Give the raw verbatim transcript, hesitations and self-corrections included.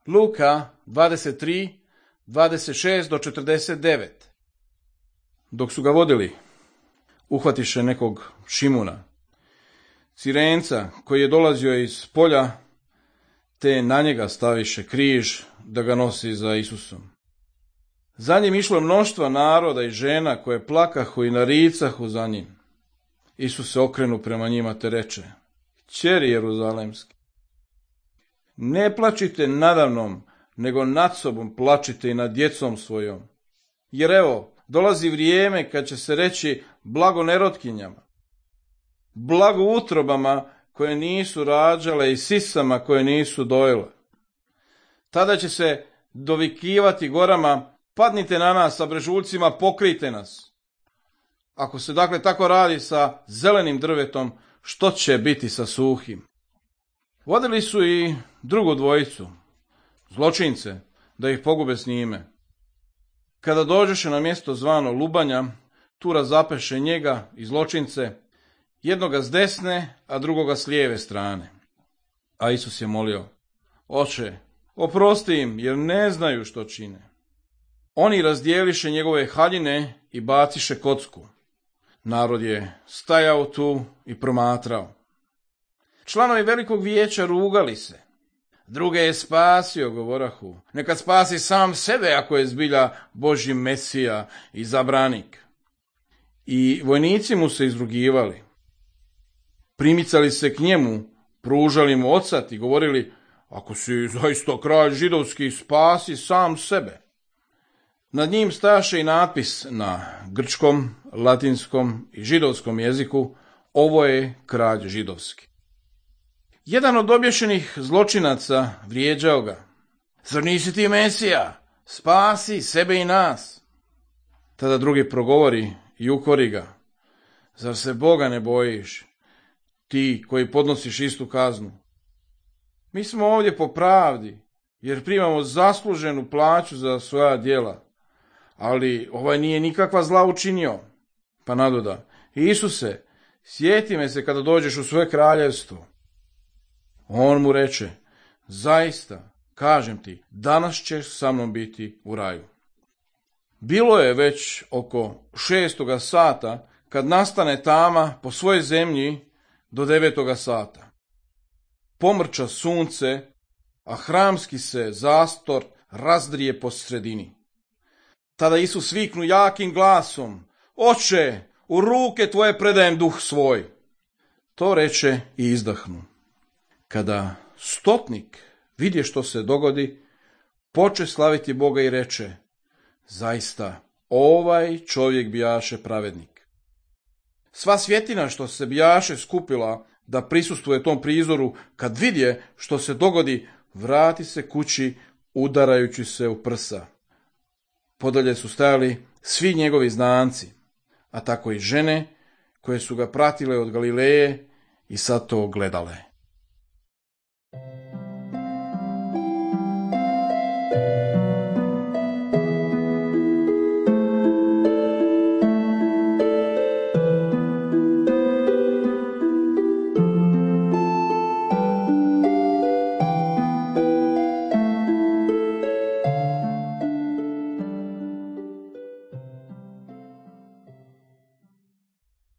Luka dvadeset tri, dvadeset šest do četrdeset devet. Dok su ga vodili, uhvatiše nekog Šimuna, Cirenca, koji je dolazio iz polja, te na njega staviše križ da ga nosi za Isusom. Za njim išlo mnoštva naroda i žena koje plakahu i naricahu za njim. Isus se okrenu prema njima te reče: Kćeri Jeruzalemski, ne plačite nadamnom, nego nad sobom plačite i nad djecom svojom. Jer evo, dolazi vrijeme kad će se reći blago nerotkinjama, blago utrobama koje nisu rađale i sisama koje nisu dojele. Tada će se dovikivati gorama: padnite na nas, sa brežuljcima pokrijte nas. Ako se dakle tako radi sa zelenim drvetom, što će biti sa suhim? Vodili su i drugu dvojicu, zločince, da ih pogube s njime. Kada dođeše na mjesto zvano Lubanja, tu razapeše njega i zločince, jednoga s desne, a drugoga s lijeve strane. A Isus je molio: Oče, oprosti im, jer ne znaju što čine. Oni razdijeliše njegove haljine i baciše kocku. Narod je stajao tu i promatrao. Članovi velikog vijeća rugali se. Druge je spasio, govorahu. Neka spasi sam sebe ako je zbilja Božji Mesija i zabranik. I vojnici mu se izrugivali. Primicali se k njemu, pružali mu ocat i govorili: Ako si zaista kralj židovski, spasi sam sebe. Nad njim staše i natpis na grčkom, latinskom i židovskom jeziku: Ovo je kralj židovski. Jedan od obješenih zločinaca vrijeđao ga: Zar nisi ti Mesija? Spasi sebe i nas. Tada drugi progovori i ukori ga: Zar se Boga ne bojiš, ti koji podnosiš istu kaznu? Mi smo ovdje po pravdi, jer primamo zasluženu plaću za svoja djela, ali ovaj nije nikakva zla učinio. Pa nadoda: Isuse, sjeti me se kada dođeš u svoje kraljevstvo. On mu reče: Zaista, kažem ti, danas ćeš sa mnom biti u raju. Bilo je već oko šestoga sata, kad nastane tama po svojoj zemlji do devetoga sata. Pomrča sunce, a hramski se zastor razdrije po sredini. Tada Isus viknu jakim glasom: Oče, u ruke tvoje predajem duh svoj. To reče i izdahnu. Kada stotnik vidje što se dogodi, poče slaviti Boga i reče: Zaista, ovaj čovjek bijaše pravednik. Sva svjetina što se bijaše skupila da prisustvuje tom prizoru, kad vidje što se dogodi, vrati se kući udarajući se u prsa. Podalje su stajali svi njegovi znanci, a tako i žene koje su ga pratile od Galileje i sad to gledale.